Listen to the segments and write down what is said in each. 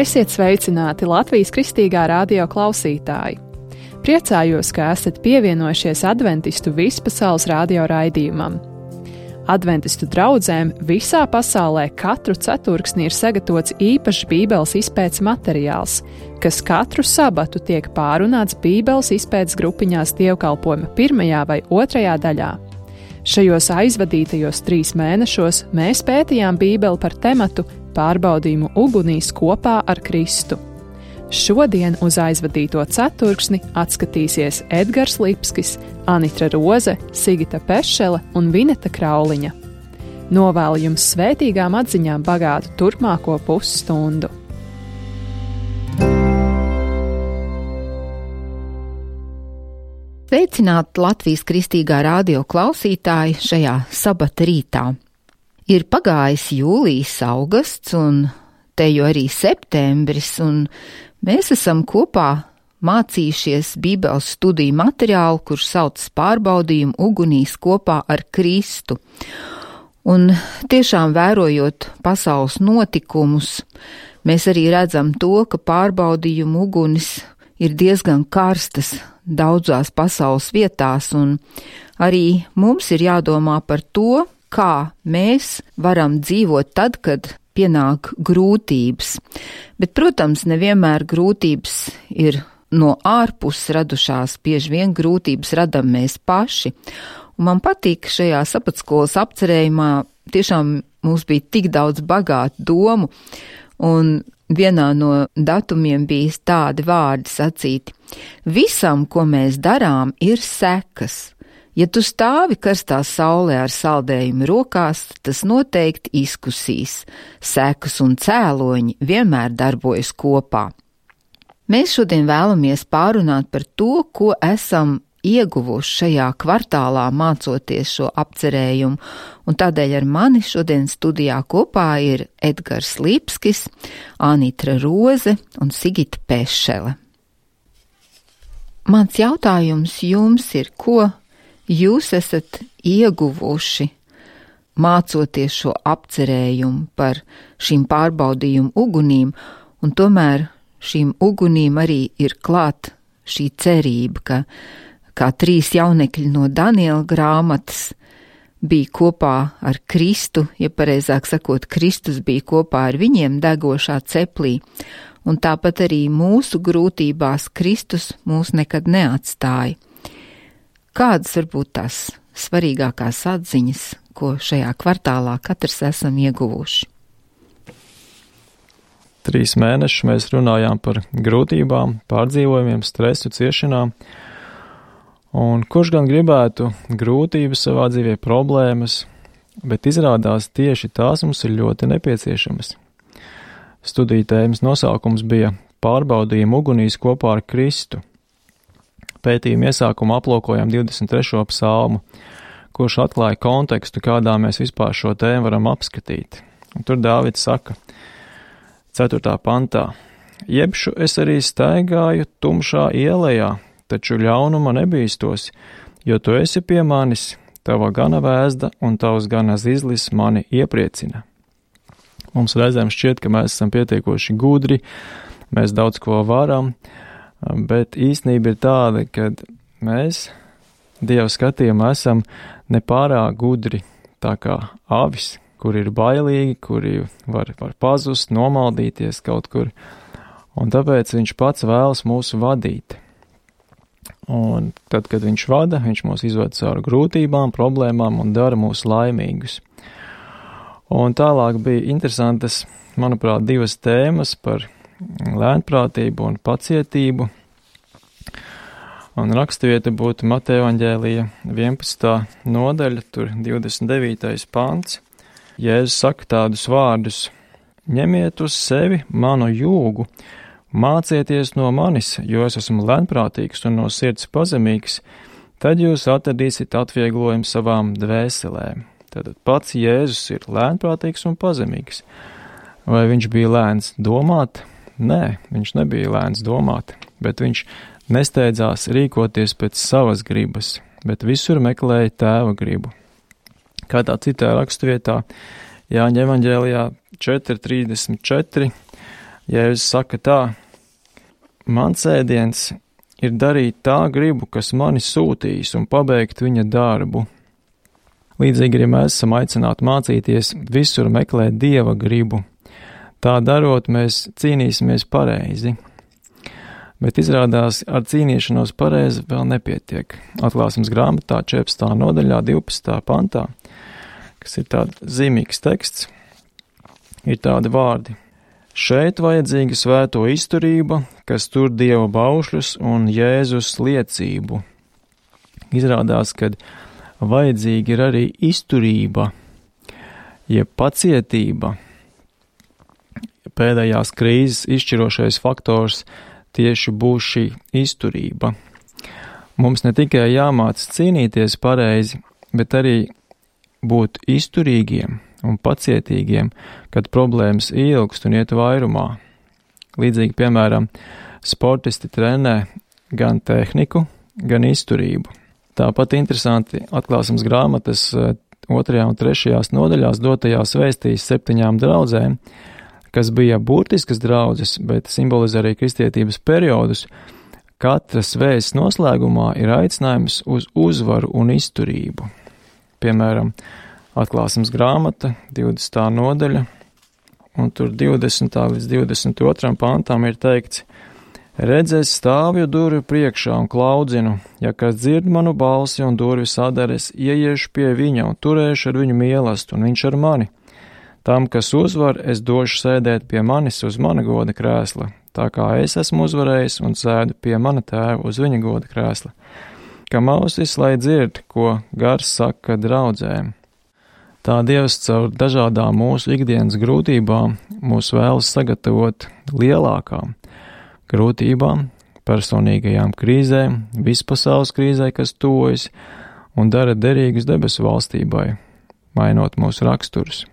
Esiet sveicināti Latvijas Kristīgā radio klausītāji! Priecājos, ka esat pievienojušies Adventistu vispasaules radio raidījumam. Adventistu draudzēm visā pasaulē katru ceturksni ir sagatavots īpašs Bībeles izpētes materiāls, kas katru sabatu tiek pārunāts Bībeles izpētes grupiņās dievkalpojuma 1. vai 2. daļā. Šajos aizvadītajos 3 mēnešos mēs pētījām Bībeli par tematu pārbaudījumu ugunīs kopā ar Kristu. Šodien uz aizvadīto ceturksni atskatīsies Edgars Lipskis, Anitra Roze, Sigita Pešele un Vineta Krauliņa. Novēlu jums svētīgām atziņām bagātu turpmāko pusstundu. Sveicināti Latvijas Kristīgā radio klausītāji šajā sabata rītā. Ir pagājis jūlijas, augusts un te jau arī septembris, un mēs esam kopā mācījušies Bībeles studiju materiālu, kurš saucas pārbaudījumu ugunīs kopā ar Kristu. Un tiešām vērojot pasaules notikumus, mēs arī redzam to, ka pārbaudījumu ugunis ir diezgan karstas daudzās pasaules vietās, un arī mums ir jādomā par to, kā mēs varam dzīvot tad, kad pienāk grūtības. Bet, protams, nevienmēr grūtības ir no ārpuses radušās, bieži vien grūtības radam mēs paši. Un man patīk šajā sapatskolas apcerējumā, tiešām mums bija tik daudz bagātu domu, un vienā no datumiem bija tādi vārdi sacīti: visam, ko mēs darām, ir sekas. Ja tu stāvi karstā saulē ar saldējumu rokās, tas noteikti izkusīs. Sekas un cēloņi vienmēr darbojas kopā. Mēs šodien vēlamies pārunāt par to, ko esam ieguvuši šajā kvartālā mācoties šo apcerējumu, un tādēļ ar mani šodien studijā kopā ir Edgars Lipskis, Anitra Roze un Sigita Pešele. Mans jautājums jums ir, ko jūs esat ieguvuši mācoties šo apcerējumu par šīm pārbaudījumu ugunīm, un tomēr šīm ugunīm arī ir klāt šī cerība, ka kā 3 jaunekļi no Daniela grāmatas bija kopā ar Kristu, ja pareizāk sakot, Kristus bija kopā ar viņiem degošā ceplī, un tāpat arī mūsu grūtībās Kristus mūs nekad neatstāja. Kādas varbūt tās svarīgākās atziņas, ko šajā kvartālā katrs esam ieguvuši? 3 mēnešus mēs runājām par grūtībām, pārdzīvojumiem, stresu, ciešanām. Un kurš gan gribētu grūtības savā dzīvē, problēmas, bet izrādās tieši tās mums ir ļoti nepieciešamas. Studiju tēmas nosaukums bija pārbaudījumu ugunīs kopā ar Kristu. Pētījuma iesākumā aplūkojām 23. psalmu, kurš atklāja kontekstu, kādā mēs vispār šo tēmu varam apskatīt. Un tur Dāvids saka, 4. pantā: Jebšu es arī staigāju tumšā ielejā, taču ļaunuma nebīstos, jo tu esi pie manis, tava gana vēzda un tavs gana zizlis mani iepriecina. Mums reizēm šķiet, ka mēs esam pietiekoši gudri, mēs daudz ko varam, bet īstenība ir tāda, ka mēs Dieva skatījumā esam nepārāk gudri, tā kā avis, kuri ir bailīgi, kuri var pazust, nomaldīties kaut kur, un tāpēc viņš pats vēlas mūs vadīt. Un tad, kad viņš vada, viņš mūs izved cauri grūtībām, problēmām un dara mūs laimīgus. Un tālāk bija interesantas, manuprāt, 2 tēmas par lēnprātību un pacietību. Un raksturvieta būtu Mateja evaņģēlija 11. nodaļa, tur 29. pants. Jēzus saka tādus vārdus: ņemiet uz sevi manu jūgu, mācieties no manis, jo es esmu lēnprātīgs un no sirds pazemīgs, tad jūs atradīsiet atvieglojumu savām dvēselēm. Tātad pats Jēzus ir lēnprātīgs un pazemīgs. Vai viņš bija lēns domāt? Nē, viņš nebija lēns domāt, bet viņš nesteidzās rīkoties pēc savas gribas, bet visur meklēja tēva gribu. Kādā citā raksturvietā, Jāņa evaņģēlijā 4:34, Jēzus saka tā: mans ēdiens ir darīt tā gribu, kas mani sūtīs, un pabeigt viņa darbu. Līdzīgi arī mēs esam aicināti mācīties visur meklēt Dieva gribu. Tā darot, mēs cīnīsimies pareizi. Bet izrādās, ar cīnīšanos pareizi vēl nepietiek. Atklāsmes grāmatā 14. nodaļā 12. pantā, kas ir tāds zīmīgs teksts, ir tādi vārdi: šeit vajadzīga svēto izturība, kas tur Dieva baušļus un Jēzus liecību. Izrādās, kad vajadzīga ir arī izturība, jeb pacietība. Pēdējās krīzes izšķirošais faktors tieši būs šī izturība. Mums ne tikai jāmāc cīnīties pareizi, bet arī būt izturīgiem un pacietīgiem, kad problēmas ilgst un iet vairumā. Līdzīgi, piemēram, sportisti trenē gan tehniku, gan izturību. Tāpat interesanti atklāsmes grāmatas 2. un 3. nodaļās dotajās vēstīs 7 draudzēm, kas bija burtiskas draudzes, bet simbolizē arī kristietības periodus. Katras vēsts noslēgumā ir aicinājums uz uzvaru un izturību. Piemēram, atklāsmes grāmata, 20. nodaļa, un tur 20. līdz 22. pantam ir teikts: redz, es stāvju durvju priekšā un klaudzinu, ja kas dzird manu balsi un durvis adares, ieiešu pie viņa un turēšu ar viņu mīlestību, un viņš ar mani. Tam, kas uzvar, es došu sēdēt pie manis uz mana goda krēsla, tā kā es esmu uzvarējis un sēdu pie mana tēva uz viņa goda krēsla. Kam ausis, lai dzird, ko gars saka draudzēm. Tā Dievs caur dažādām mūsu ikdienas grūtībām mūs vēlas sagatavot lielākām grūtībām, personīgajām krīzēm, vispasaules krīzē, kas tuvojas, un dara derīgus debesu valstībai, mainot mūsu raksturus.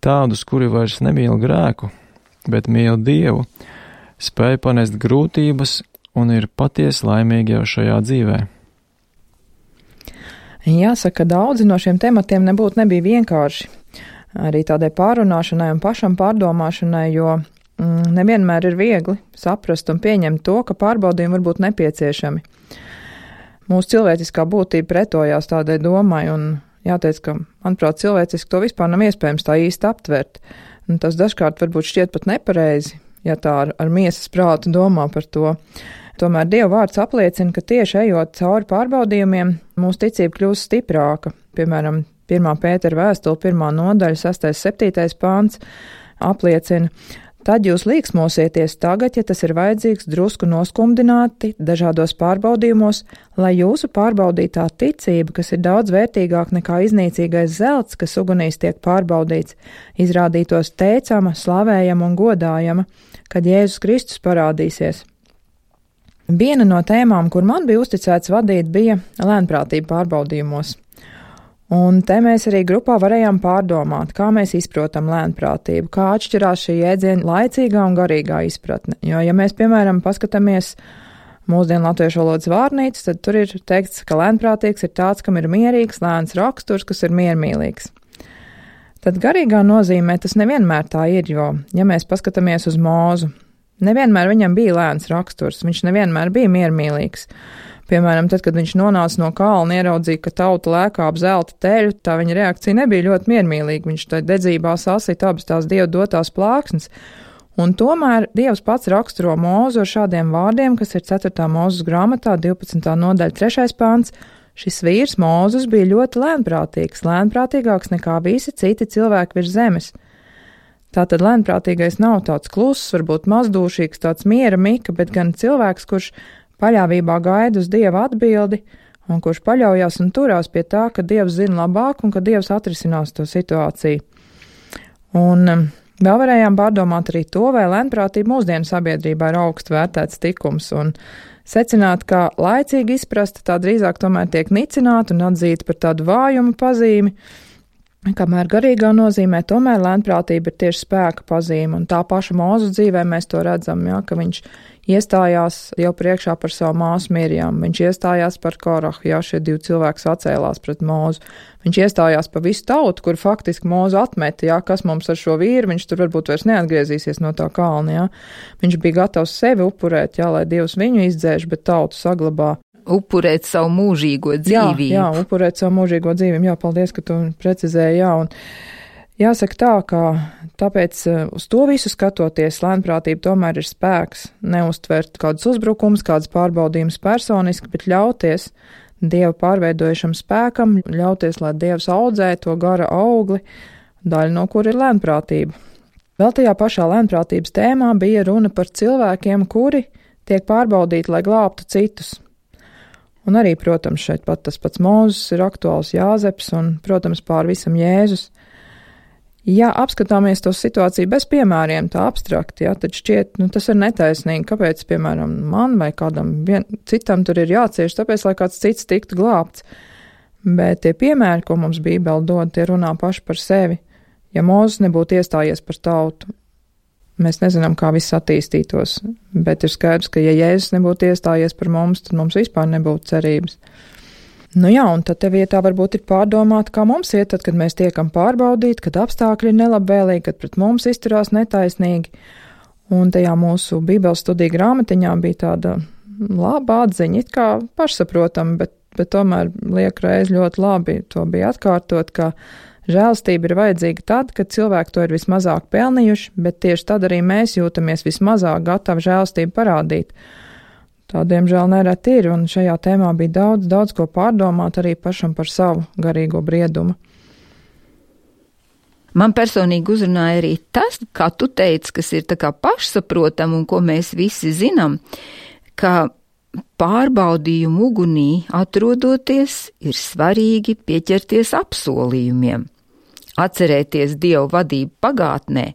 Tādus, kuri vairs nemīl grēku, bet mīl Dievu, spēj panest grūtības un ir patiesi laimīgi jau šajā dzīvē. Jāsaka, daudzi no šiem tematiem nebija vienkārši. Arī tādai pārunāšanai un pašam pārdomāšanai, jo nevienmēr ir viegli saprast un pieņemt to, ka pārbaudījumi var būt nepieciešami. Mūsu cilvēciskā būtība pretojās tādai domai, un jāteic, ka, manuprāt, cilvēciski to vispār nav iespējams tā īsti aptvert. Un tas dažkārt varbūt šķiet pat nepareizi, ja tā ar miesas prātu domā par to. Tomēr Dieva vārds apliecina, ka tieši ejot cauri pārbaudījumiem, mūsu ticība kļūst stiprāka. Piemēram, 1. Pētera vēstule, 1. nodaļa, 6. 7. pāns apliecina: tad jūs līksmosieties tagad, ja tas ir vajadzīgs, drusku noskumdināti dažādos pārbaudījumos, lai jūsu pārbaudītā ticība, kas ir daudz vērtīgāk nekā iznīcīgais zelts, kas ugunīs tiek pārbaudīts, izrādītos teicama, slavējama un godājama, kad Jēzus Kristus parādīsies. Viena no tēmām, kur man bija uzticēts vadīt, bija lēnprātība pārbaudījumos. Un te mēs arī grupā varējām pārdomāt, kā mēs izprotam lēnprātību, kā atšķirās šī jēdziena laicīgā un garīgā izpratne. Jo, ja mēs, piemēram, paskatāmies mūsdienu latviešu valodas vārnīcu, tad tur ir teikts, ka lēnprātīgs ir tāds, kam ir mierīgs, lēns raksturs, kas ir miermīlīgs. Tad garīgā nozīmē tas nevienmēr tā ir, jo, ja mēs paskatāmies uz Mūzu, nevienmēr viņam bija lēns raksturs, viņš nevienmēr bija miermīlīgs. Piemēram, tad, kad viņš nonāca no kalna, ieraudzīja, ka tauta lēkā ap zelta teļu, tā viņa reakcija nebija ļoti miermīlīga. Viņš tai dedzībā sasita abas tās Dieva dotās plāksnes. Un tomēr Dievs pats raksturo Mūzu ar šādiem vārdiem, kas ir 4. Mūzes grāmatā, 12. nodaļa, 3. pāns. Šis vīrs Mūzus bija ļoti lēnprātīgs, lēnprātīgāks nekā visi citi cilvēki virs zemes. Tātad lēnprātīgais nav tāds kluss, varbūt mazdūšīgs, tāds miera mika, bet gan cilvēks, kurš paļāvībā gaida uz Dieva atbildi un kurš paļaujās un turās pie tā, ka Dievs zina labāk un ka Dievs atrisinās to situāciju. Un vēl varējām pārdomāt arī to, vai lēnprātība mūsdienu sabiedrībā ir augstu vērtēts tikums un secināt, ka laicīgi izprasta tā drīzāk tomēr tiek nicināta un atzīta par tādu vājumu pazīmi, kamēr garīgā nozīmē tomēr lēnprātība ir tieši spēka pazīme, un tā paša Mūzes dzīvē mēs to redzam, ja, ka viņš iestājās jau priekšā par savu māsu Mirjam, viņš iestājās par Korahu, jā, šie 2 cilvēki sacēlās pret Mūzu. Viņš iestājās par visu tautu, kur faktiski Mūzu atmeta, jā, kas mums ar šo vīru, viņš tur varbūt vairs neatgriezīsies no tā kalna, jā. Viņš bija gatavs sevi upurēt, jā, lai Dievs viņu izdzēš, bet tautu saglabā. Upurēt savu mūžīgo dzīvību. Jā, upurēt savu mūžīgo dzīvību, jā, paldies, ka tu precizēji, jā, un jāsaka tā, ka tāpēc uz to visu skatoties, lēnprātība tomēr ir spēks, neuztvert kādus uzbrukumus, kādas pārbaudījumus personiski, bet ļauties Dieva pārveidojušam spēkam, ļauties, lai Dievs audzē to gara augli, daļa no kur ir lēnprātība. Vēl tajā pašā lēnprātības tēmā bija runa par cilvēkiem, kuri tiek pārbaudīti, lai glābtu citus. Un arī, protams, šeit pat tas pats Mūzes ir aktuāls, Jāzeps un, protams, pār visam Jēzus. Ja apskatāmies to situāciju bez piemēriem, tā abstrakti, jā, tad šķiet, tas ir netaisnīgi, kāpēc, piemēram, man vai kādam citam tur ir jācieš, tāpēc, lai kāds cits tiktu glābts. Bet tie piemēri, ko mums Bībele dod, tie runā paši par sevi. Ja Mūzes nebūtu iestājies par tautu, mēs nezinām, kā viss attīstītos, bet ir skaidrs, ka ja Jēzus nebūtu iestājies par mums, tad mums vispār nebūtu cerības. Nu jā, un tad te vietā varbūt ir pārdomāt, kā mums iet, tad, kad mēs tiekam pārbaudīti, kad apstākļi ir nelabvēlīgi, kad pret mums izturās netaisnīgi. Un tajā mūsu Bībeles studiju grāmatiņā bija tāda laba atziņa, it kā pašsaprotama, bet tomēr liek reiz ļoti labi to bija atkārtot, ka žēlastība ir vajadzīga tad, kad cilvēki to ir vismazāk pelnījuši, bet tieši tad arī mēs jūtamies vismazāk gatavi žēlastību parādīt. Tā, diemžēl, nereti ir, un šajā tēmā bija daudz ko pārdomāt arī pašam par savu garīgo briedumu. Man personīgi uzrunāja arī tas, kā tu teici, kas ir tā kā pašsaprotam un ko mēs visi zinām, ka pārbaudījumu ugunī atrodoties ir svarīgi pieķerties apsolījumiem, atcerēties Dievu vadību pagātnē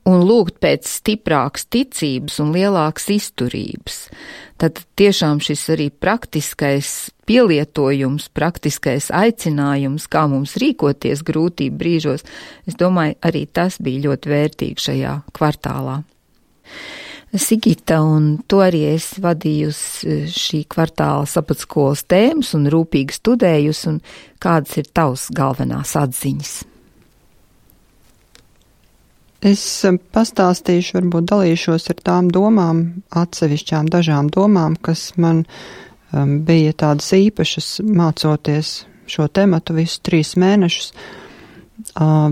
un lūgt pēc stiprākas ticības un lielākas izturības. Tad tiešām šis arī praktiskais pielietojums, praktiskais aicinājums, kā mums rīkoties grūtību brīžos, es domāju, arī tas bija ļoti vērtīgi šajā kvartālā. Sigita, un tu arī esi vadījusi šī kvartāla sapatskolas tēmas un rūpīgi studējusi, un kādas ir tavas galvenās atziņas? Es pastāstīšu, varbūt dalīšos ar tām domām, atsevišķām dažām domām, kas man bija tādas īpašas mācoties šo tematu visus 3 mēnešus.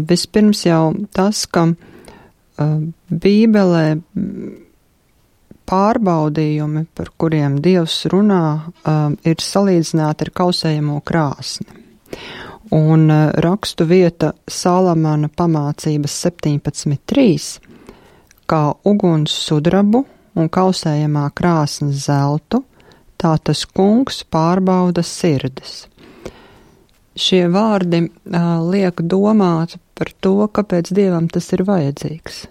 Vispirms jau tas, ka Bībelē pārbaudījumi, par kuriem Dievs runā, ir salīdzināti ar kausējamo krāsni. Un rakstu vieta Salamana pamācības 17.3, kā uguns sudrabu un kausējamā krāsnes zeltu, tā tas kungs pārbauda sirdis. Šie vārdi liek domāt par to, kāpēc Dievam tas ir vajadzīgs.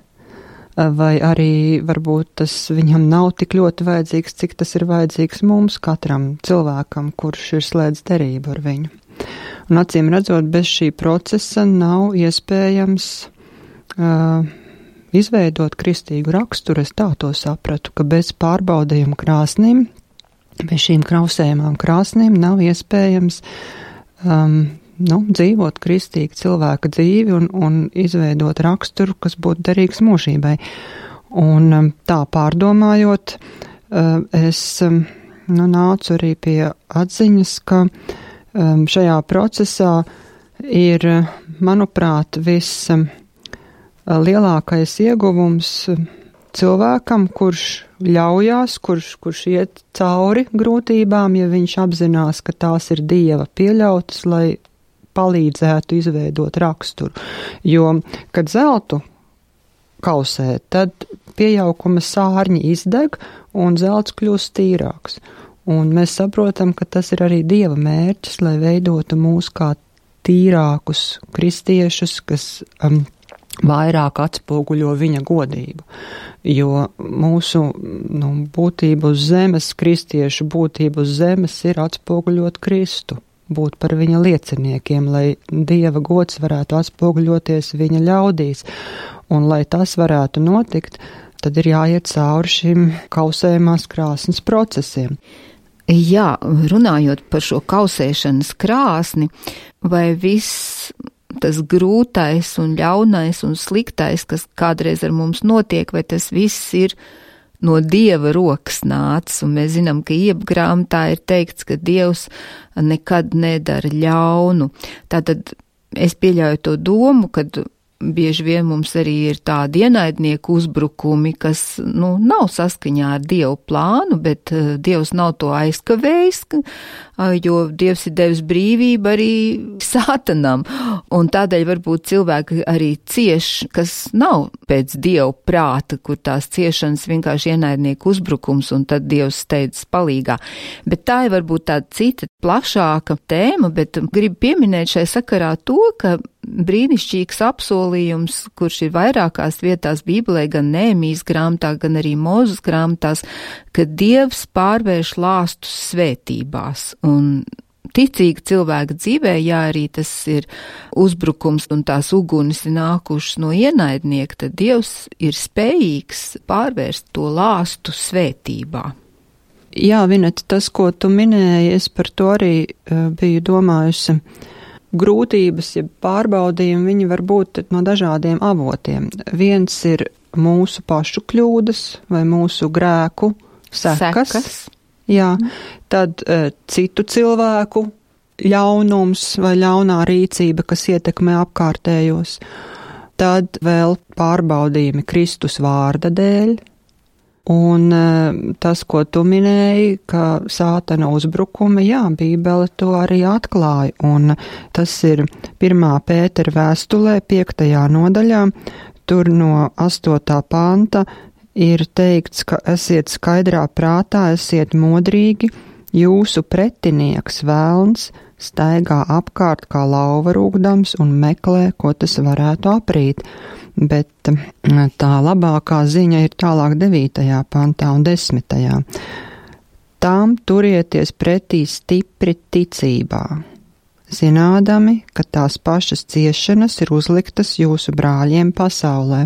Vai arī varbūt tas viņam nav tik ļoti vajadzīgs, cik tas ir vajadzīgs mums, katram cilvēkam, kurš ir slēdz derību ar viņu. Un acīm redzot, bez šī procesa nav iespējams izveidot kristīgu raksturu. Es tā to sapratu, ka bez pārbaudījuma krāsnīm, bez šīm krausējumām krāsnīm nav iespējams dzīvot kristīgu cilvēka dzīvi un izveidot raksturu, kas būtu derīgs mūžībai. Un tā pārdomājot, es nācu arī pie atziņas, ka šajā procesā ir, manuprāt, lielākais ieguvums cilvēkam, kurš ļaujās, kurš iet cauri grūtībām, ja viņš apzinās, ka tās ir Dieva pieļautas, lai palīdzētu izveidot raksturu. Jo, kad zeltu kausē, tad piejaukuma sārņi izdeg un zelts kļūst tīrāks. Un mēs saprotam, ka tas ir arī Dieva mērķis, lai veidotu mūs kā tīrākus kristiešus, kas vairāk atspoguļo viņa godību. Jo mūsu būtība uz zemes, kristiešu būtība uz zemes ir atspoguļot Kristu, būt par viņa lieciniekiem, lai Dieva gods varētu atspoguļoties viņa ļaudīs. Un lai tas varētu notikt, tad ir jāiet cauri šim kausējumās krāsnes procesiem. Jā, runājot par šo kausēšanas krāsni, vai viss tas grūtais un ļaunais un sliktais, kas kādreiz ar mums notiek, vai tas viss ir no Dieva rokas nācis, un mēs zinām, ka Iebgrāmatā ir teikts, ka Dievs nekad nedara ļaunu. Tātad es pieļauju to domu, kad bieži vien mums arī ir tādi ienaidnieku uzbrukumi, kas, nav saskaņā ar Dievu plānu, bet Dievs nav to aizkavējis, jo Dievs ir devis brīvību arī Sātanam, un tādēļ varbūt cilvēki arī cieš, kas nav pēc Dieva prāta, kur tās ciešanas vienkārši ienaidnieku uzbrukums, un tad Dievs steidzas palīgā. Bet tā ir varbūt tāda cita, plašāka tēma, bet gribu pieminēt šai sakarā to, ka brīnišķīgs apsolījums, kurš ir vairākās vietās Bībelē, gan Nehemijas grāmatā, gan arī Mūzes grāmatās, ka Dievs pārvērš lāstus svētībās. Un ticīga cilvēka dzīvē, ja arī tas ir uzbrukums un tās ugunis ir nākušas no ienaidnieka, tad Dievs ir spējīgs pārvērst to lāstu svētībā. Jā, Vineta, tas, ko tu minēji, es par to arī biju domājusi. Grūtības, ja pārbaudījumi, viņi var būt no dažādiem avotiem. Viens ir mūsu pašu kļūdas vai mūsu grēku sekas. Jā, tad citu cilvēku ļaunums vai ļaunā rīcība, kas ietekmē apkārtējos. Tad vēl pārbaudījumi Kristus vārda dēļ. Un tas, ko tu minēji, ka Sātana uzbrukumi, jā, Bībele to arī atklāja, un tas ir 1. Pētera vēstulē 5. nodaļā, tur no 8. panta ir teikts, ka esiet skaidrā prātā, esiet modrīgi, jūsu pretinieks velns staigā apkārt kā lauva rūgdams un meklē, ko tas varētu aprīt. Bet tā labākā ziņa ir tālāk 9. pantā un 10. Tām turieties pretī stipri ticībā, zinādami, ka tās pašas ciešanas ir uzliktas jūsu brāļiem pasaulē.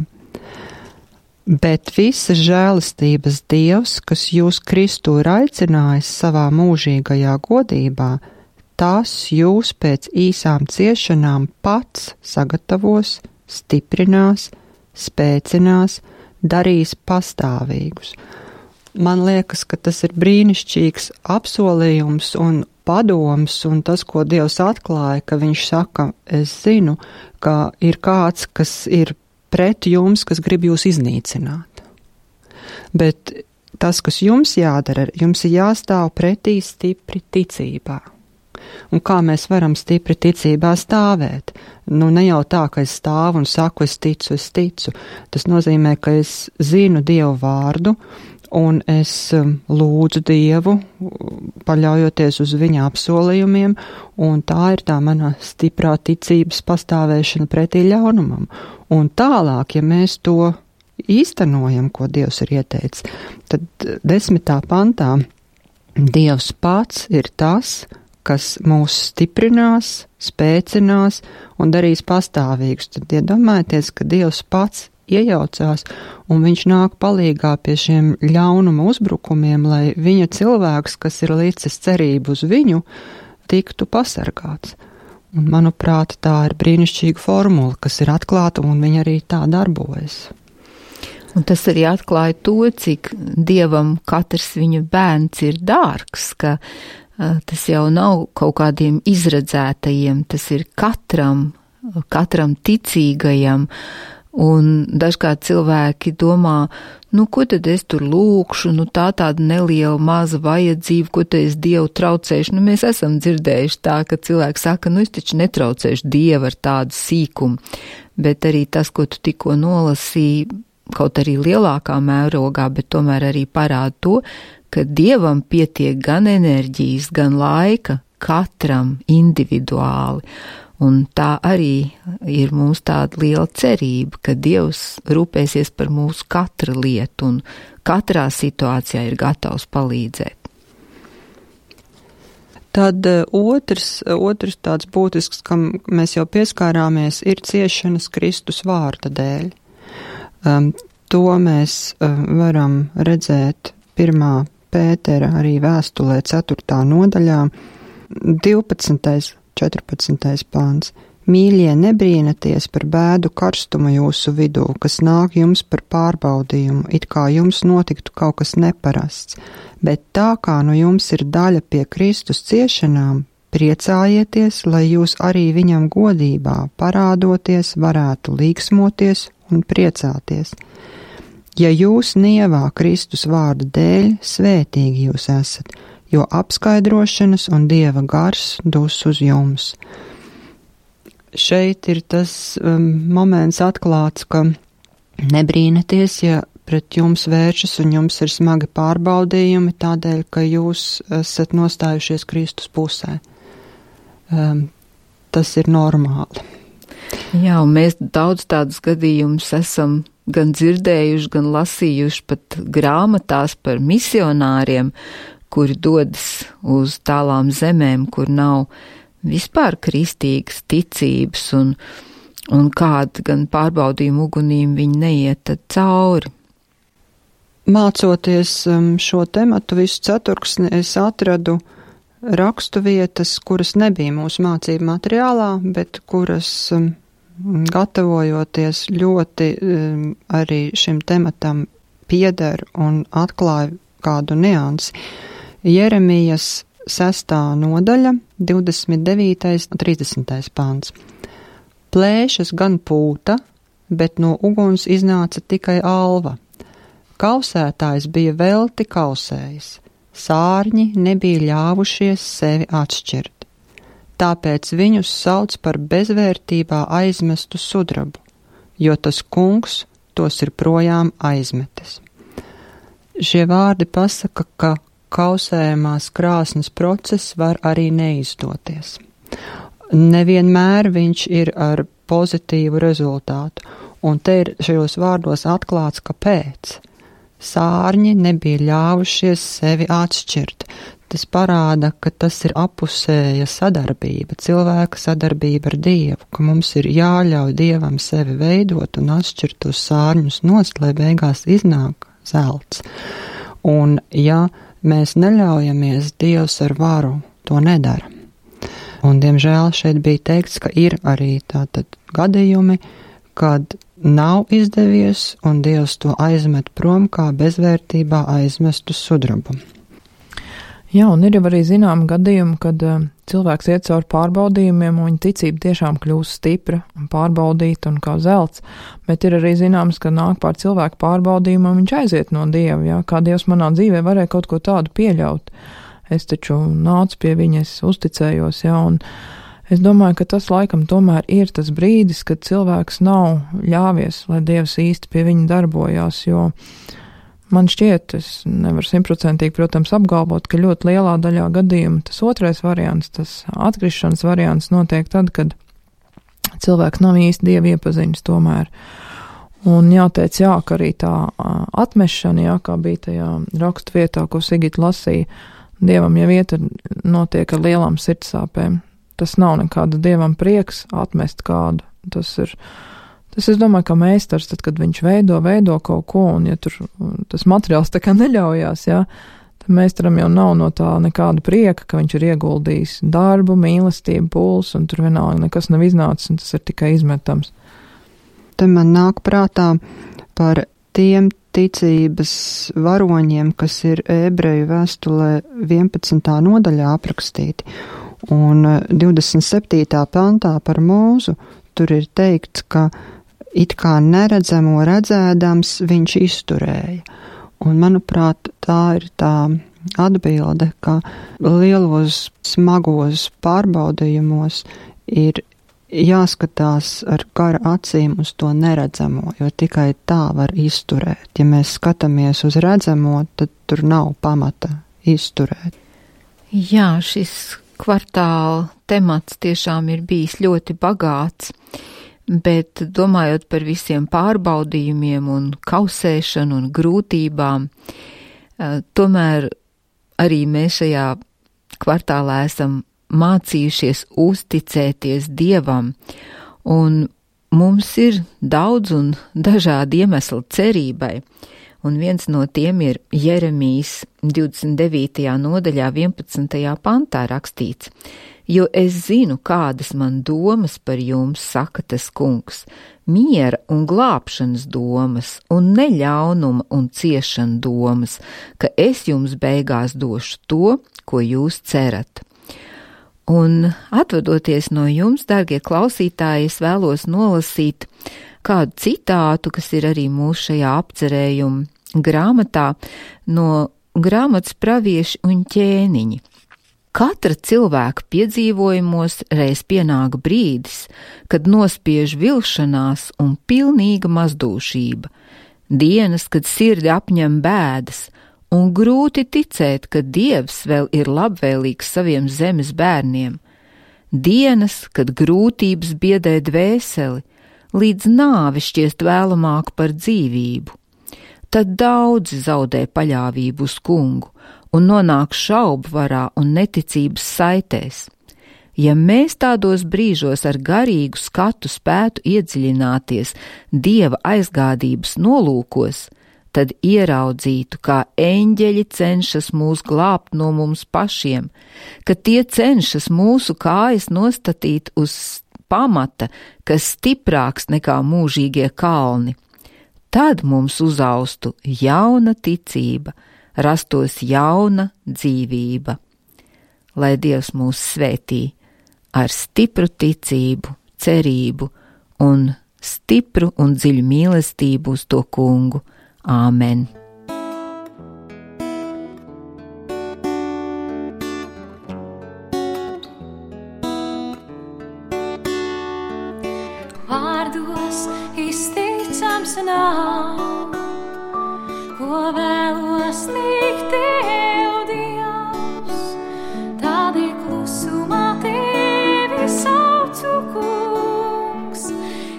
Bet visas žēlastības Dievs, kas jūs Kristu ir aicinājis savā mūžīgajā godībā, tās jūs pēc īsām ciešanām pats sagatavos, stiprinās, spēcinās, darīs pastāvīgus. Man liekas, ka tas ir brīnišķīgs apsolījums un padoms, un tas, ko Dievs atklāja, ka viņš saka, es zinu, ka ir kāds, kas ir pret jums, kas grib jūs iznīcināt. Bet tas, kas jums jādara, jums ir jāstāv pretī stipri ticībā. Un kā mēs varam stipri ticībā stāvēt? Ne jau tā, ka es stāvu un saku, es ticu. Tas nozīmē, ka es zinu Dievu vārdu, un es lūdzu Dievu, paļaujoties uz viņa apsolījumiem, un tā ir tā mana stiprā ticības pastāvēšana pretī ļaunumam. Un tālāk, ja mēs to īstenojam, ko Dievs ir ieteicis, tad 10. pantā Dievs pats ir tas, kas mūs stiprinās, spēcinās un darīs pastāvīgus. Tad iedomājieties, ka Dievs pats iejaucās un viņš nāk palīgā pie šiem ļaunuma uzbrukumiem, lai viņa cilvēks, kas ir licis cerību uz viņu, tiktu pasargāts. Un, manuprāt, tā ir brīnišķīga formula, kas ir atklāta un viņa arī tā darbojas. Un tas arī atklāja to, cik Dievam katrs viņa bērns ir dārgs, ka tas jau nav kaut kādiem izredzētajiem, tas ir katram ticīgajam, un dažkārt cilvēki domā, ko tad es tur lūkšu, tāda neliela maza vajadzība, ko te es Dievu traucēšu. Mēs esam dzirdējuši tā, ka cilvēki saka, es taču netraucēšu Dievu ar tādu sīkumu, bet arī tas, ko tu tikko nolasīji, kaut arī lielākā mērogā, bet tomēr arī parāda to, ka Dievam pietiek gan enerģijas, gan laika katram individuāli. Un tā arī ir mums tāda liela cerība, ka Dievs rūpēsies par mūsu katra lietu un katrā situācijā ir gatavs palīdzēt. Tad otrs tāds būtisks, kam mēs jau pieskārāmies, ir ciešanas Kristus vārda dēļ. To mēs varam redzēt 1. Pētera arī vēstulē 4. nodaļā, 12. 14. pāns. Mīļie, nebrīnaties par bēdu karstumu jūsu vidū, kas nāk jums par pārbaudījumu, it kā jums notiktu kaut kas neparasts, bet tā kā nu jums ir daļa pie Kristus ciešanām, priecājieties, lai jūs arī viņam godībā parādoties varētu līksmoties un priecāties. Ja jūs nievā Kristus vārda dēļ, svētīgi jūs esat, jo apskaidrošanas un Dieva gars dus uz jums. Šeit ir tas moments atklāts, ka nebrīnaties, ja pret jums vēršas un jums ir smagi pārbaudījumi tādēļ, ka jūs esat nostājušies Kristus pusē. Tas ir normāli. Jā, un mēs daudz tādus gadījumus esam gan dzirdējuši, gan lasījuši pat grāmatās par misionāriem, kuri dodas uz tālām zemēm, kur nav vispār kristīgas ticības un kādu gan pārbaudījumu ugunīm viņi neiet cauri. Mācoties šo tematu visu ceturksni, es atradu rakstu vietas, kuras nebija mūsu mācību materiālā, bet kuras gatavojoties ļoti arī šim tematam pieder un atklāja kādu niansi. Jeremijas 6. nodaļa, 29. un 30. pāns. Plēšas gan pūta, bet no uguns iznāca tikai alva. Kausētājs bija velti kausējis, sārņi nebija ļāvušies sevi atšķirt. Tāpēc viņus sauc par bezvērtībā aizmestu sudrabu, jo tas kungs tos ir projām aizmetis. Šie vārdi pasaka, ka kausējumās krāsnes process var arī neizdoties. Nevienmēr viņš ir ar pozitīvu rezultātu, un te ir šajos vārdos atklāts, kāpēc. Sārņi nebija ļāvušies sevi atšķirt. Tas parāda, ka tas ir apusēja sadarbība, cilvēka sadarbība ar Dievu, ka mums ir jāļauj Dievam sevi veidot un atšķirt tos sārņus nost, lai beigās iznāk zelts. Un ja mēs neļaujamies, Dievs ar varu to nedara. Un, diemžēl, šeit bija teikts, ka ir arī tātad gadījumi, kad nav izdevies, un Dievs to aizmet prom kā bezvērtībā aizmestu sudrabu. Jā, un ir jau arī zinām gadījumi, kad cilvēks iet cauri pārbaudījumiem, un viņa ticība tiešām kļūst stipra un pārbaudīta un kā zelts, bet ir arī zināms, ka nāk pār cilvēku pārbaudījumu, un viņš aiziet no Dieva, jā, kā Dievs manā dzīvē varēja kaut ko tādu pieļaut. Es taču nācu pie viņa, es uzticējos, jā, un es domāju, ka tas laikam tomēr ir tas brīdis, kad cilvēks nav ļāvies, lai Dievs īsti pie viņa darbojās, jo man šķiet, es nevaru 100%, protams, apgalvot, ka ļoti lielā daļā gadījumu tas otrais variants, tas atgrišanas variants notiek tad, kad cilvēks nav īsti Dievu iepazinis tomēr. Un jāteic, jā, ka arī tā atmešana, jā, kā bija tajā rakstu vietā, ko Sigita lasīja, Dievam jau iet notiek ar lielām sirdsāpēm. Tas nav nekāda Dievam prieks atmest kādu. Tas es domāju, ka meistars, tad, kad viņš veido kaut ko, un ja tur tas materiāls tā kā neļaujās, jā, tad meistaram jau nav no tā nekāda prieka, ka viņš ir ieguldījis darbu, mīlestību, pulsu, un tur vienalga nekas nav iznācis, un tas ir tikai izmetams. Te man nāk prātā par tiem ticības varoņiem, kas ir Ebreju vēstulē 11. nodaļā aprakstīti, un 27. pantā par Mūzu tur ir teikts, ka it kā neredzamo redzēdams viņš izturēja. Un, manuprāt, tā ir tā atbilde, ka lielos smagos pārbaudījumos ir jāskatās ar kara acīm uz to neredzamo, jo tikai tā var izturēt. Ja mēs skatāmies uz redzamo, tad tur nav pamata izturēt. Jā, šis kvartāla temats tiešām ir bijis ļoti bagāts, bet domājot par visiem pārbaudījumiem un kausēšanu un grūtībām, tomēr arī mēs šajā kvartālā esam mācījušies uzticēties Dievam, un mums ir daudz un dažādi iemesli cerībai, un viens no tiem ir Jeremijas 29. nodaļā 11. pantā rakstīts: jo es zinu, kādas man domas par jums, saka tas kungs, miera un glābšanas domas, un neļaunuma un ciešana domas, ka es jums beigās došu to, ko jūs cerat. Un atvadoties no jums, dārgie klausītāji, es vēlos nolasīt kādu citātu, kas ir arī mūsu šajā apcerējuma grāmatā, no grāmatas Pravieši un ķēniņi. Katra cilvēka piedzīvojumos reiz pienāk brīdis, kad nospiež vilšanās un pilnīga mazdūšība, dienas, kad sirdi apņem bēdas, un grūti ticēt, ka Dievs vēl ir labvēlīgs saviem zemes bērniem, dienas, kad grūtības biedē dvēseli, līdz nāve šķiest vēlamāk par dzīvību. Tad daudzi zaudē paļāvību uz kungu un nonāk šaubu varā un neticības saitēs. Ja mēs tādos brīžos ar garīgu skatu spētu iedziļināties Dieva aizgādības nolūkos, tad ieraudzītu, kā eņģeļi cenšas mūs glābt no mums pašiem, ka tie cenšas mūsu kājas nostatīt uz pamata, kas stiprāks nekā mūžīgie kalni. Tad mums uzaustu jauna ticība, rastos jauna dzīvība. Lai Dievs mūs svētī ar stipru ticību, cerību un stipru un dziļu mīlestību uz to kungu. Āmen! Vārdos izteicams nav, ko vēlos likt tev, Dievs, tādēļ klusumā tevi saucu, kungs,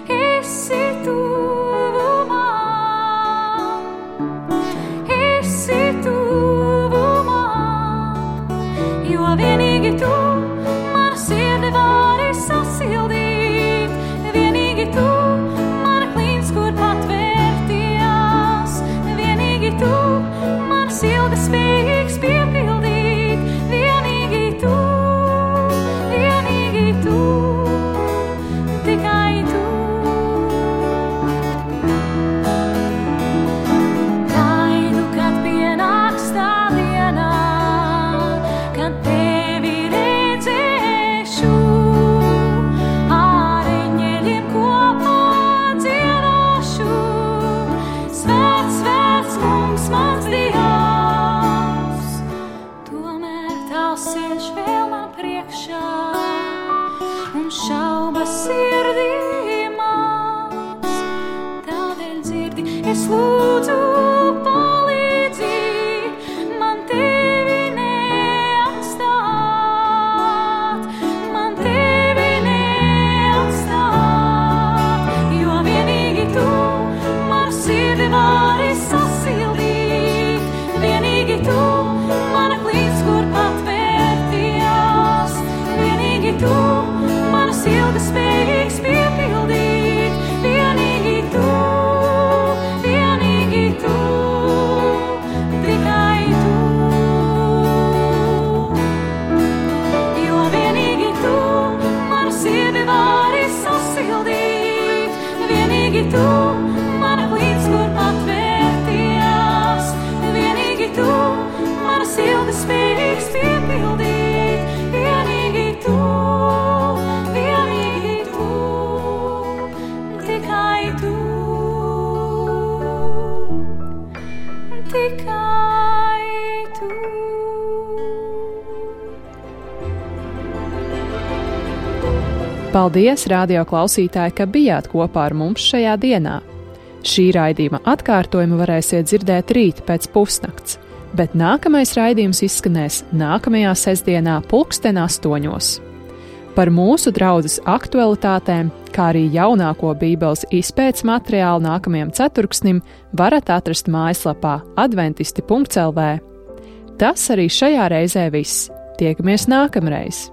esi tuvumā, jo vienīgi tu man sirdi vari sasildīt, vienīgi tu man klīns, kur patvērtījās, vienīgi tu man silda spējīgs piepildīt, vienīgi tu, tikai tu. Gaidu, kad pienāks tā diena, kad tevi redzēšu, ar eņģeļiem kopā dziedāšu. Svēts, svēts kungs, mans Dievs, tomēr tavs ceļš vēl man priekšā, un šaubas sirdī maz. Tādēļ dzirdi, es lūdzu palīdzi, man tevi neatstāt, jo vienīgi tu man sirdi vari sasildīt, vienīgi tu man klīns, kur patvērtījās, vienīgi tu man silda spējīgs piepildīt, vienīgi tu, tikai tu, jo vienīgi tu man sirdi vari sasildīt, vienīgi tu man klīns, kur patvērtījās, vienīgi tu man silda spējīgs piepildīt, vienīgi tu, tikai tu, tikai tu. Paldies, radio klausītāji, ka bijāt kopā ar mums šajā dienā. Šī raidījuma atkārtojumu varēsiet dzirdēt rīt pēc pusnakts, bet nākamais raidījums izskanēs nākamajā sestdienā 8:00. Par mūsu draudzes aktualitātēm, kā arī jaunāko Bībeles izpētes materiālu nākamajam ceturksnim varat atrast mājaslapā adventisti.lv. Tas arī šajā reizē viss. Tiekamies nākamreiz!